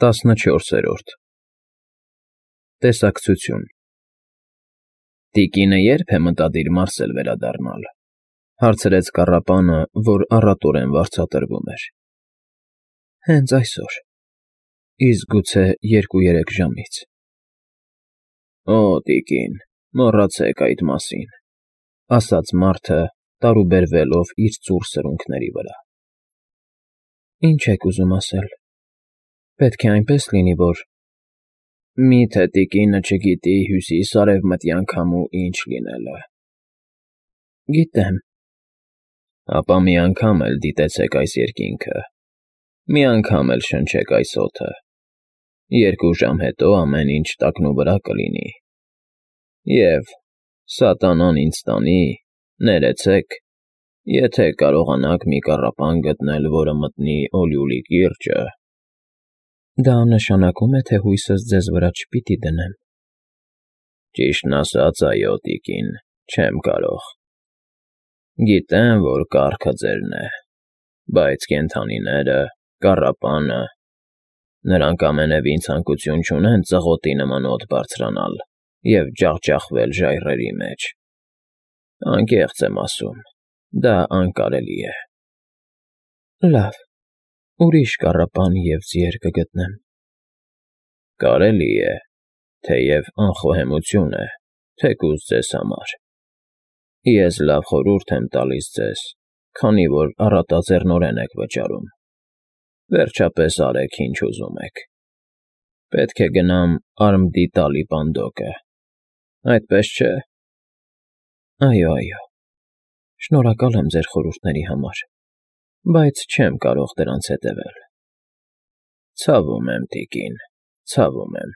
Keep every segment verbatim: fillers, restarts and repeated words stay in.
տասնչորսերորդ Տեսակցություն Տիկինը ե՞րբ է մտադիր մարսել վերադառնալ,֊ հարցրեց կառապանը, որ առատորեն վարձատրվում էր։ ֊ Հենց այսօր, իսկ գուցե երկու֊երեք ժամից։ ֊ Օ՜, տիկին, մոռացեք այդ մասին,֊ ասաց մարդը, տարուբերվելով իր ծուռ սրունքների վրա։ ֊ Ինչ եք ուզում ասել, պետք է այնպես լինի, որ… Մի՞թե տիկինը չգիտի հյուսիս֊արևմտյան քամու ինչ լինելը։ ֊ Գիտեմ։ ֊ Ապա մի անգամ էլ դիտեցեք այս երկինքը, մի անգամ էլ շնչեք այս օդը, երկու ժամ հետո ամեն ինչ տակնուվրա կլինի, և, սատանան ինձ տանի, ներեցեք, եթե կարողանաք մի կառապան գտնել, որը մտնի Օլիուլի կիրճը… ֊ Դա նշանակում է, թե հույսս ձեզ վրա չպիտի դնեմ։ ֊ Ճիշտն ասած, այո, տիկին, չեմ կարող… Գիտեմ, որ կառքը ձերն է, բայց կենդանիները, կառապանը… Նրանք ամենևին ցանկություն չունեն ծղոտի նման օդ բարձրանալ և ջախջախվել ժայռերի մեջ… Անկեղծ եմ ասում, դա անկարելի է… ֊ Լավ, ուրիշ կառապան և ձիեր կգտնեմ։ ֊ Կարելի է, թեև անխոհեմություն է, թեկուզ ձեզ համար… Ես լավ խորհուրդ եմ տալիս ձեզ, քանի որ առատաձեռնորեն եք վճարում… Վերջապես արեք, ինչ ուզում եք… Պետք է գնամ Արմդիտալի պանդոկը, այդպես չէ՞… ֊ Այո, այո, շնորհակալ եմ ձեր խորհուրդների համար, բայց չեմ կարող դրանց հետևել… ֊ Ցավում եմ, տիկին, ցավում եմ…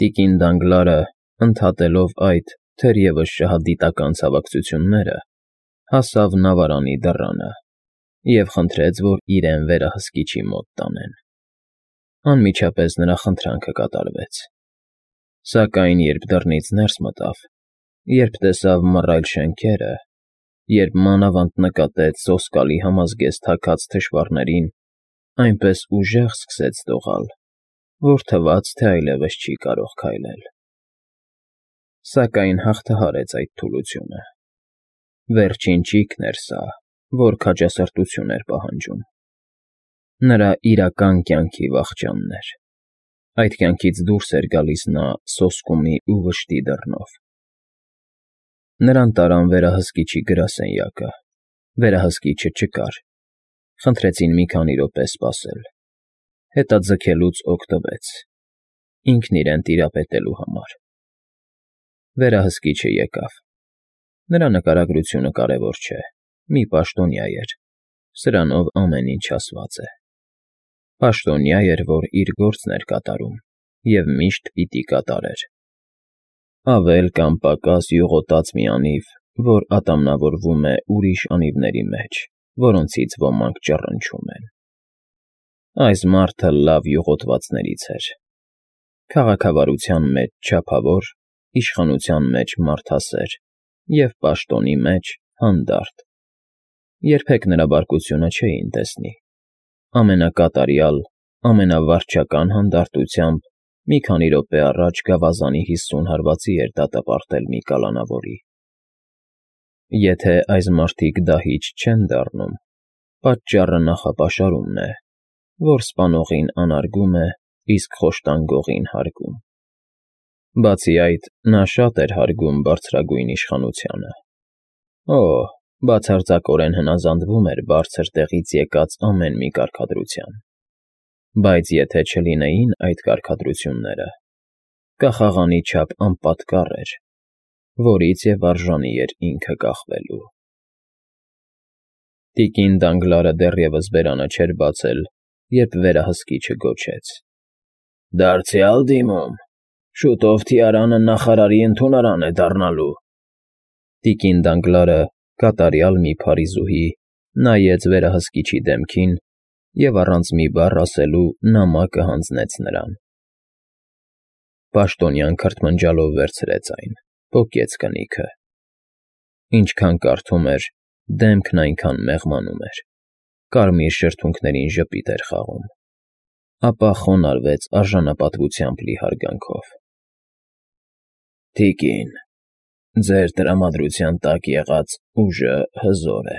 Տիկին Դանգլարը, ընդհատելով այդ, թերևս շահադիտական ցավակցությունները, հասավ նավարանի դռանը և խնդրեց, որ իրեն վերահսկիչի մոտ տանեն… Անմիջապես նրա խնդրանքը կատարվեց… Սակայն երբ դռնից ներս մտավ, երբ տեսավ մռայլ շենքերը, երբ մանավանդ նկատեց սոսկալի համազգեստ թաքած թշվառներին, այնպես ուժեղ սկսեց դողալ, որ թվաց, թե այլևս չի կարող քայլել… Սակայն հաղթահարեց այդ թուլությունը… Վերջին ճիգն էր սա, որ քաջասրտություն էր պահանջում… Նրա իրական կյանքի վախճանն էր… Այդ կյանքից դուրս էր գալիս նա սոսկումի ու վշտի դռնով… Նրան տարան վերահսկիչի գրասենյակը, վերահսկիչը չկար… Խնդրեցին մի քանի րոպե սպասել… Հետաձգելուց օգտվեց… Ինքն իրեն տիրապետելու համար… Վերահսկիչը եկավ… Նրա նկարագրությունը կարևոր չէ, մի պաշտոնյա էր, սրանով ամեն ինչ ասված է… Պաշտոնյա էր, որ իր գործն էր կատարում և միշտ պիտի կատարեր… Ավել կամ պակաս յուղոտած մի անիվ, որ ատամնավորվում է ուրիշ անիվների մեջ, որոնցից ոմանք ճռնչում են… Այս մարդը լավ յուղոտվածներից էր… Քաղաքավարության մեջ չափավոր, իշխանության մեջ մարդասեր և պաշտոնի մեջ հանդարտ… Երբեք նրա բարկությունը չէին տեսնի… Ամենակատարյալ, ամենավարջական հանդարտությամբ մի քանի րոպե առաջ գավազանի հիսուն հարվածի էր դատապարտել մի կալանավորի… Եթե այս մարդիկ դահիճ չեն դառնում, պատճառը նախապաշարումն է, որ սպանողին անարգում է, իսկ խոշտանգողին հարգում… Բացի այդ, նա շատ էր հարգում բարձրագույն իշխանությանը… Օ՜, բացարձակորեն հնազանդվում էր բարձր տեղից եկած ամեն մի կարգադրության… Բայց եթե չլինեին այդ կարգադրությունները, կախաղանի չափ անպատկառ էր, որից և արժանի էր ինքը կախվելու… Տիկին Դանգլարը դեռևս բերանը չէր բացել, երբ վերահսկիչը գոչեց. ֊ Դարձյալ դիմում… Շուտով թիարանը նախարարի ընդունարան է դառնալու… Տիկին Դանգլարը, կատարյալ մի փարիզուհի, նայեց վերահսկիչի դեմքին և առանց մի բառ ասելու նամակը հանձնեց նրան… Պաշտոնյան քրթմնջալով վերցրեց այն, պոկեց կնիքը… Ինչքան կարդում էր, դեմքն այնքան մեղմանում էր, կարմիր շրթունքներին ժպիտ էր խաղում… ապա խոնարհվեց արժանապատվությամբ լի հարգանքով։ Տիկին, ձեր տրամադրության տակ եղած ուժը հզոր է։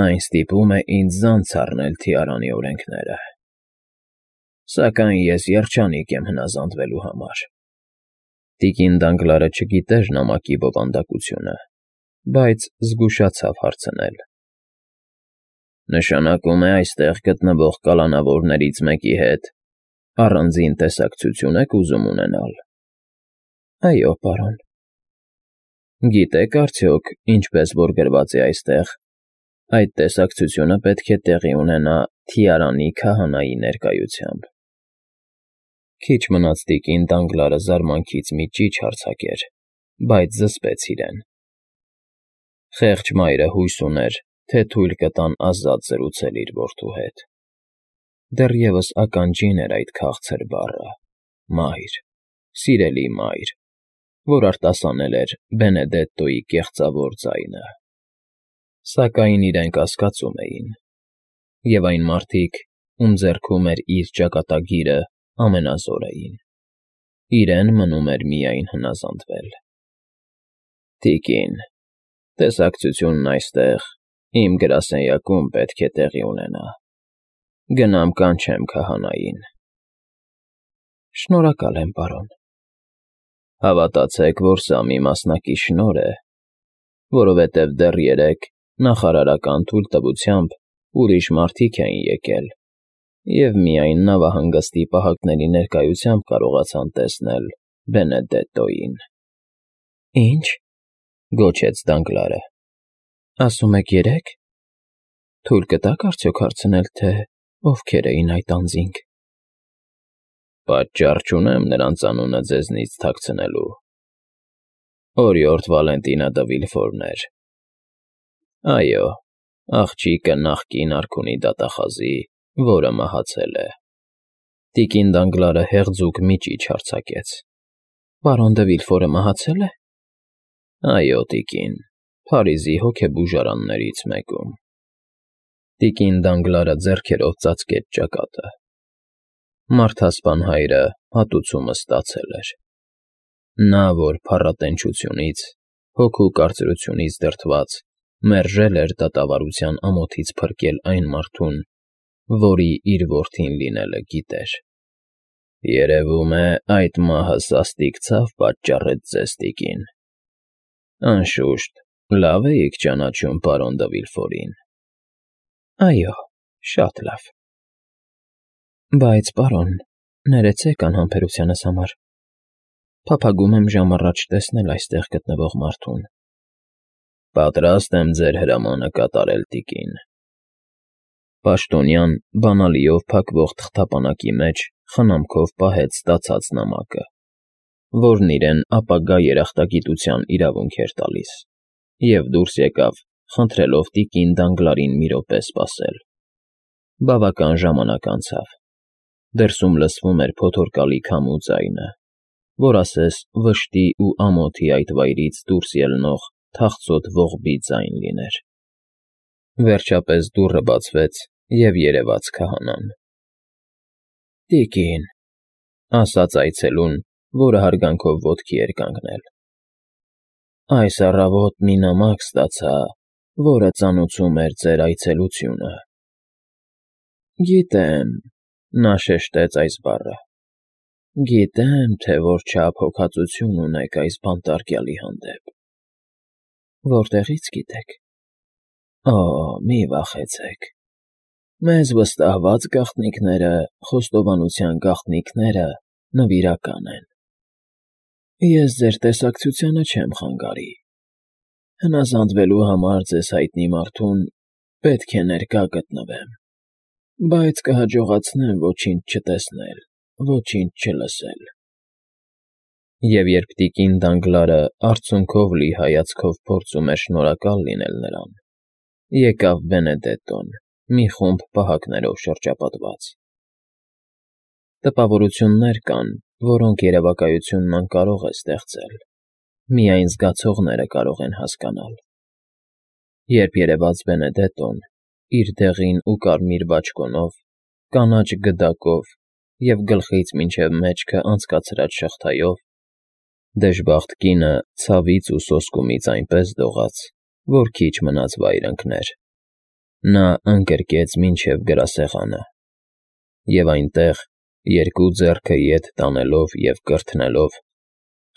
Այն ստիպում է ինձ ձանձ առնել Թիարանի օրենքները։ Սակայն ես երջանիկ եմ հնազանդվելու համար։ Տիկին Դանգլարը չգիտեր նամակի բովանդակությունը, բայց զգուշացավ հարցնել. Նշանակում է այստեղ գտնվող կալանավորներից մեկի հետ առանձին տեսակցություն եք ուզում ունենալ։ Այո, պարոն։ Գիտեք արդյոք, ինչպես որ գրված է այստեղ, այդ տեսակցությունը պետք է տեղի ունենա Թիարանի քահանայի ներկայությամբ։ Քիչ մնաց տիկին Դանգլարը զարմանքից մի ճիչ արձակեր, բայց զսպեց իրեն։ Խեղճ մայրը հույս ուներ, թե թույլ կտան ազատ զրուցել իր որդու հետ։ Դեռևս ականջին էր այդ քաղցր բառը՝ մայր, սիրելի մայր, որ արտասանել էր Բենեդետտոյի կեղծավոր ձայնը։ Սակայն իրենք կասկածում էին, և այն մարդիկ, ում ձեռքում էր իր ճակատագիրը, ամենազոր էին։ Իրեն մնում էր միայն հնազանդվել։ Տիկին, տեսակցությունն այստեղ, իմ գրասենյակում պետք է տեղի ունենա։ Գնամ կանչեմ քահանային։ Շնորհակալ եմ, պարոն։ Հավատացեք, որ սա մի մասնակի շնորհ է, որովհետև դեռ երեկ նախարարական թույլտվությամբ ուրիշ մարդիկ էին եկել, և միայն նավահանգստի պահակների ներկայությամբ կարողացան տեսնել Բենեդետտոյին։ Ինչ, գոչեց Դանգլարը, ասում եք երեկ. թույլ կտաք արդյոք հարցնել, թե ովքեր էին այդ անձինք։ Պատճառ չունեմ նրանց անունը ձեզնից թաքցնելու։ Օրիորդ Վալենտինա դը Վիլֆորներ։ Այո, աղջիկը նախկին արքունի դատախազի, որը մահացել է։ Տիկին Դանգլարը հեղձուկ մի ճիչ արձակեց։ Պարոն դը Վիլֆորը մահացել է։ Այո, տիկին, Փարիզի հոգեբուժարաններից մեկում։ Տիկին Դանգլարը ձեռքերով ծածկեց ճակատը։ Մարդասպան հայրը հատուցումը ստացել էր։ Նա, որ փառատենչությունից, հոգու կարծրությունից դրդված, մերժել էր դատավարության ամոթից փրկել այն մարդուն, որի իր որդին լինելը գիտեր։ Երևում է, այդ մահը սաստիկ ցավ պատճառեց ձեզ, տիկին։ Անշուշտ, լավ էիք ճանաչում պարոն դը Վիլֆորին։ Այո, շատ լավ։ Բայց, պարոն, ներեցեք անհամբերությանս համար։ Փափագում եմ ժամ առաջ տեսնել այստեղ գտնվող մարդուն։ Պատրաստ եմ ձեր հրամանը կատարել, տիկին։ Պաշտոնյան բանալիով փակվող թղթապանակի մեջ խնամքով պահեց ստացած նամակը, որն իրեն ապագա երախտագիտության իրավունք էր տալիս, և դուրս եկավ, խնդրելով տիկին Դանգլարին մի րոպե սպասել։ Բավական ժամանակ անցավ։ Դրսում լսվում էր փոթորկալի քամու ձայնը, որ ասես վշտի ու ամոթի այդ վայրից դուրս ելնող թախծոտ ողբի ձայն լիներ։ Վերջապես դուռը բացվեց, և երևաց քահանան։ Տիկին, ասաց այցելուն, որը հարգանքով ոտքի էր կանգնել։ Այս առավոտ մի նամակ ստացա, որը ծանուցում էր ձեր այցելությունը։ Գիտեմ, նա շեշտեց այս բառը, գիտեմ, թե որչափ հոգածություն ունեք այս բանտարկյալի հանդեպ։ Որտեղի՞ց գիտեք։ Օ, մի վախեցեք։ Մեզ վստահված գաղտնիքները, խոստովանության գաղտնիքները նվիրական են։ Ես ձեր տեսակցությանը չեմ խանգարի։ Հնազանդվելու համար ձեզ հայտնի մարդուն պետք է ներկա գտնվեմ, բայց կհաջողացնեմ ոչինչ չտեսնել, ոչինչ չլսել։ Եվ երբ տիկին Դանգլարը արցունքով լի հայացքով փորձում էր շնորհակալ լինել նրան, եկավ Բենեդետտոն, մի խումբ պահակներով շրջապատված։ Տպավորություններ կան, որոնք երևակայությունն անկարող է ստեղծել, միայն զգացողները կարող են հասկանալ։ Երբ երևաց Բենեդետտոն, իր դեղին ու կարմիր բաճկոնով, կանաչ գդակով և գլխից մինչև մեջքը անցկացրած շղթայով, դժբախտ կինը ցավից ու սոսկումից այնպես դողաց, որ քիչ մնաց վայր ընկներ. նա ընկրկեց մինչև գրասեղանը, և այնտեղ, երկու ձեռքը ետ տանելով և կրթնելով,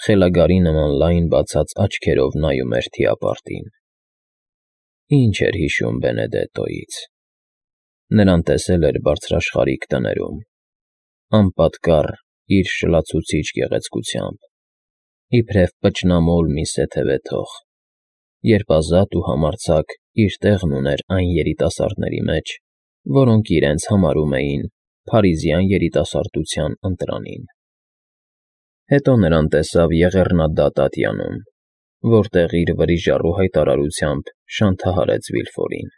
խելագարի նման լայն բացած աչքերով նայում էր թիապարտին։ Ինչ էր հիշում Բենեդետոյից. նրան տեսել էր բարձրաշխարհիկ տներում, անպատկառ իր շլացուցիչ գեղեցկությամբ, իբրև պճնամոլ մի սեթևե թող, երբ ազատ ու համարձակ իր տեղն ուներ այն երիտասարդների մեջ, որոնք իրենց համարում էին փարիզյան երիտասարդության ընտրանին։ Հետո նրան տեսավ եղեռնադատ ատյանում, որտեղ իր վրիժառու հայտարարությամբ շանթահարեց Վիլֆորին։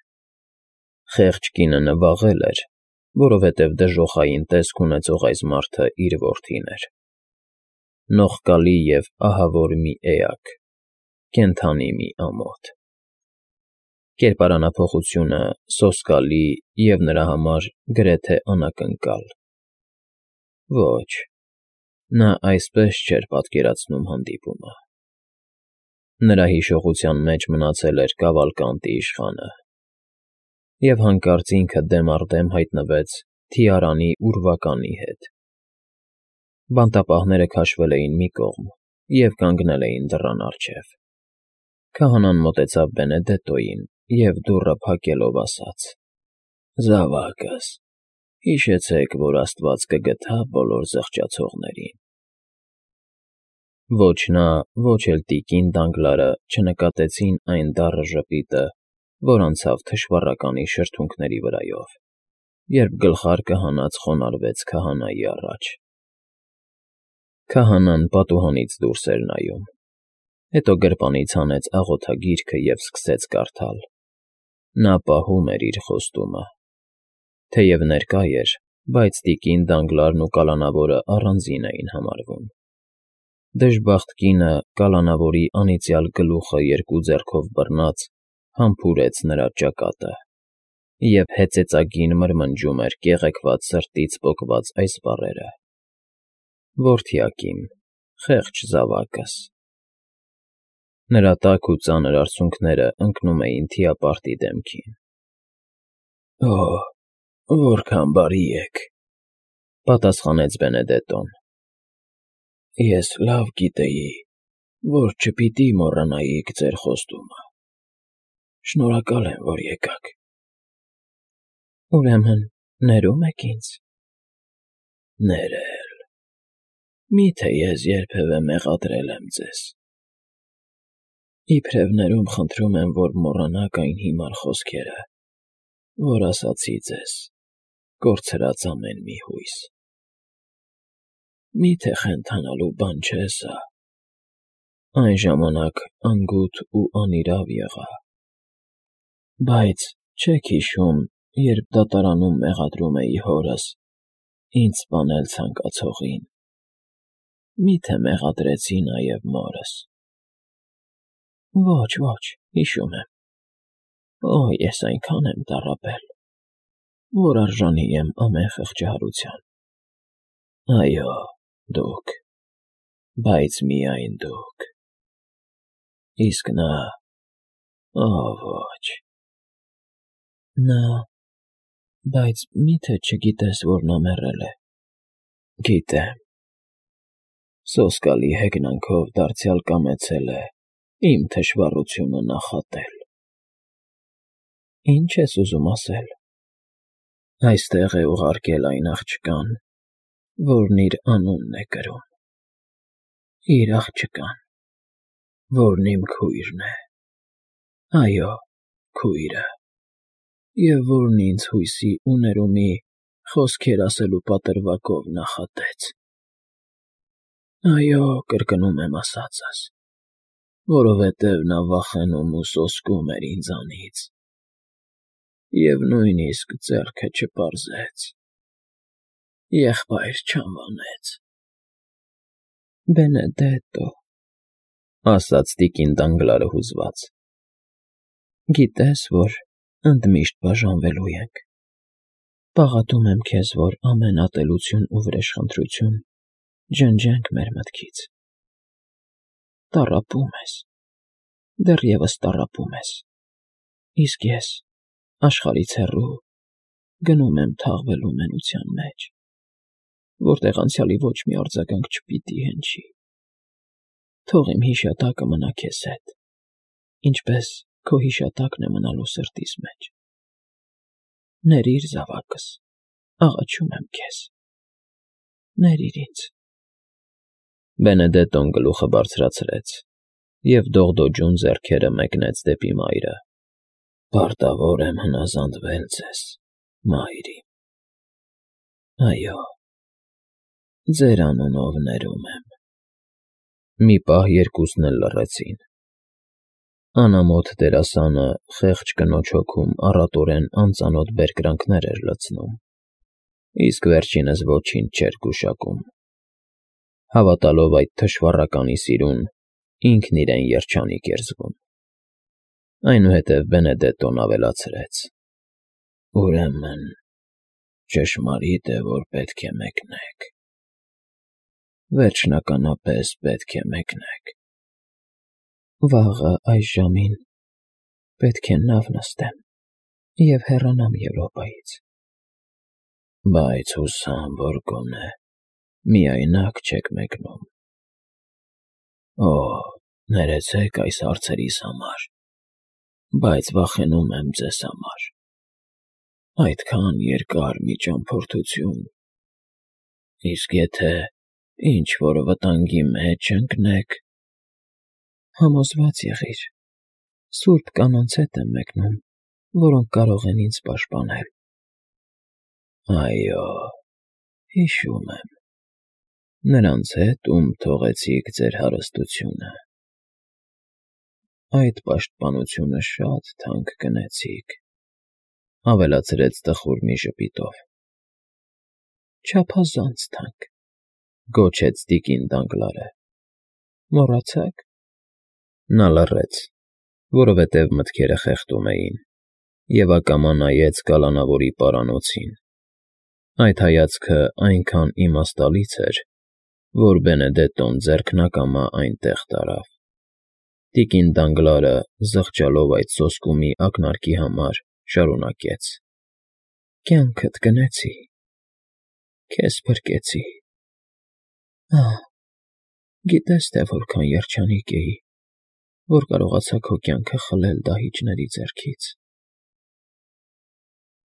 Խեղճ կինը նվաղել էր, որովհետև դժոխային տեսք ունեցող այս մարդը իր որդին էր։ Նողկալի և ահավոր մի էակ, կենդանի մի ամոթ։ Կերպարանափոխությունը սոսկալի և նրա համար գրեթե անակնկալ։ Ոչ, նա այսպես չէր պատկերացնում հանդիպումը։ Նրա հիշողության մեջ մնացել էր Կավալկանտի իշխանը, և հանկարծ ինքը դեմ առ դեմ հայտնվեց թիարանի ուրվականի հետ։ Բանտապահները քաշվել էին մի կողմ և կանգնել էին դռան առջև։ Քահանան մոտեցավ Բենեդետոյին և դուռը փակելով ասաց. «Զավակս, հիշեցեք, որ աստված կգթա բոլոր զղջացողներին»։ Ոչ նա, ոչ էլ տիկին Դանգլարը չնկատեցին այն դառը ժպիտը, որ անցավ թշվառականի շրթունքների վրայով, երբ գլխարկը հանած խոնարհվեց քահանայի առաջ։ Քահանան պատուհանից դուրս էր նայում, հետո գրպանից հանեց աղոթագիրքը և սկսեց կարդալ։ Նա պահում էր իր խոստումը։ Թեև ներկա էր, բայց տիկին Դանգլարն ու կալանավորը առանձին էին համարվում։ Դժբախտ կինը կալանավորի անիծյալ գլուխը երկու ձեռքով բռնած համբուրեց նրա ճակատը և հեծեծագին մրմնջում էր կեղեքված սրտից պոկված այս բառերը. «Որդյակիմ, խեղճ զավակս»։ Նրա տաք ու ծանր արցունքները ընկնում էին թիապարտի դեմքին։ «Օ՜, որքան բարի եք,֊ պատասխանեց Բենեդետոն։ «Ես լավ գիտեի, որ չպիտի մոռանայիք ձեր խոստումը։ Շնորհակալ եմ, որ եկաք»։ «Ուրեմն ներում եք ինձ»։ «Ներել… Մի՞թե ես երբևէ մեղադրել եմ ձեզ։ Իբրև ներում խնդրում եմ, որ մոռանաք այն հիմար խոսքերը, որ ասացի ձեզ, կորցրած ամեն մի հույս։ Մի՞թե խենթանալու բան չէ սա։ Այն ժամանակ անգութ ու անիրավ եղա։ Բայց չե՞ք հիշում, երբ դատարանում մեղադրում էի հորս, ինձ սպանել ցանկացողին, մի՞թե մեղադրեցի նաև մորս։ Ոչ, ոչ, հիշում եմ։ Օ՜, ես այնքան եմ տառապել, որ արժանի եմ ամեն խղճահարության։ Այո, դուք, բայց միայն դուք։ Իսկ նա… Օ՜, ոչ։ Նա… Բայց մի՞թե չգիտես, որ նա մեռել է։ Գիտեմ։ Սոսկալի հեգնանքով դարձյալ կամեցել է իմ թշվառությունը նախատել։ Ի՞նչ ես ուզում ասել։ Այստեղ է ուղարկել այն աղջկան, որն իր անունն է կրում։ Իր աղջկան, որն իմ քույրն է։ Այո, քույրը, և որն ինձ հույսի ու ներումի խոսքեր ասելու պատրվակով նախատեց։ Այո, կրկնում եմ ասածս, որովհետև նա վախենում ու սոսկում էր ինձանից և նույնիսկ ձեռքը չպարզեց, եղբայր չանվանեց։ Բենեդետո…֊ ասաց տիկին Դանգլարը հուզված։ Գիտես, որ ընդմիշտ բաժանվելու ենք։ Պաղատում եմ քեզ, որ ամեն ատելություն ու վրեժխնդրություն ջնջենք մեր մտքից։ Տառապում ես, դեռևս տառապում ես, իսկ ես, աշխարհից հեռու, գնում եմ թաղվելու մենության մեջ, որտեղ անցյալի ոչ մի արձագանք չպիտի հնչի։ Թող իմ հիշատակը մնա քեզ հետ, ինչպես քո հիշատակն է մնալու սրտիս մեջ։ Ներիր զավակս, աղաչում եմ քեզ, ներիր ինձ։ Բենեդետոն գլուխը բարձրացրեց և դողդոջուն ձեռքերը մեկնեց դեպի մայրը։ Պարտավոր եմ հնազանդվել ձեզ, մայր իմ։ Այո, ձեր անունով ներում եմ։ Մի պահ երկուսն էլ լռեցին։ Անամոթ դերասանը խեղճ կնոջ հոգում առատորեն անծանոթ բերկրանքներ էր լցնում, իսկ վերջինս ոչինչ չէր գուշակում։ Հավատալով այդ թշվառականի սիրուն, ինքն իրեն երջանիկ էր զգում։ Այնուհետև Բենեդետոն ավելացրեց. Ուրեմն ճշմարիտ է, որ պետք է մեկնեք։ Վերջնականապես պետք է մեկնեք։ Վաղը այս ժամին պետք է նավ նստեմ և հեռանամ Եվրոպայից։ Բայց հուսամ, որ գոնե միայնակ չեք մեկնում։ Օ, ներեցեք այս հարցերիս համար, բայց վախենում եմ ձեզ համար։ Այդքան երկար մի ճամփորդություն, իսկ եթե ինչ-որ վտանգի մեջ ընկնեք… Համոզված եղիր, սուրբ կանանց հետ եմ մեկնում, որոնք կարող են ինձ պաշտպանել։ Այո, հիշում եմ, նրանց հետ, ում թողեցիք ձեր հարստությունը։ Այդ պաշտպանությունը շատ թանկ գնեցիք, ավելացրեց տխուր մի ժպիտով։ Չափազանց թանկ, գոչեց տիկին Դանգլարը։ Մոռացաք։ Նա լռեց, որովհետև մտքերը խեղդում էին, և ակամա նայեց կալանավորի պարանոցին։ Այդ հայացքը այնքան իմաստալից էր, որ Բենեդետոն ձեռքն ակամա այնտեղ տարավ։ Տիկին Դանգլարը, զղջալով այդ սոսկումի ակնարկի համար, շարունակեց. Կյանքդ գնեցի, քեզ փրկեցի։ Ահ, գիտես, թե որքան երջանիկ էի, որ կարողացա քո կյանքը խլել դահիճների ձեռքից։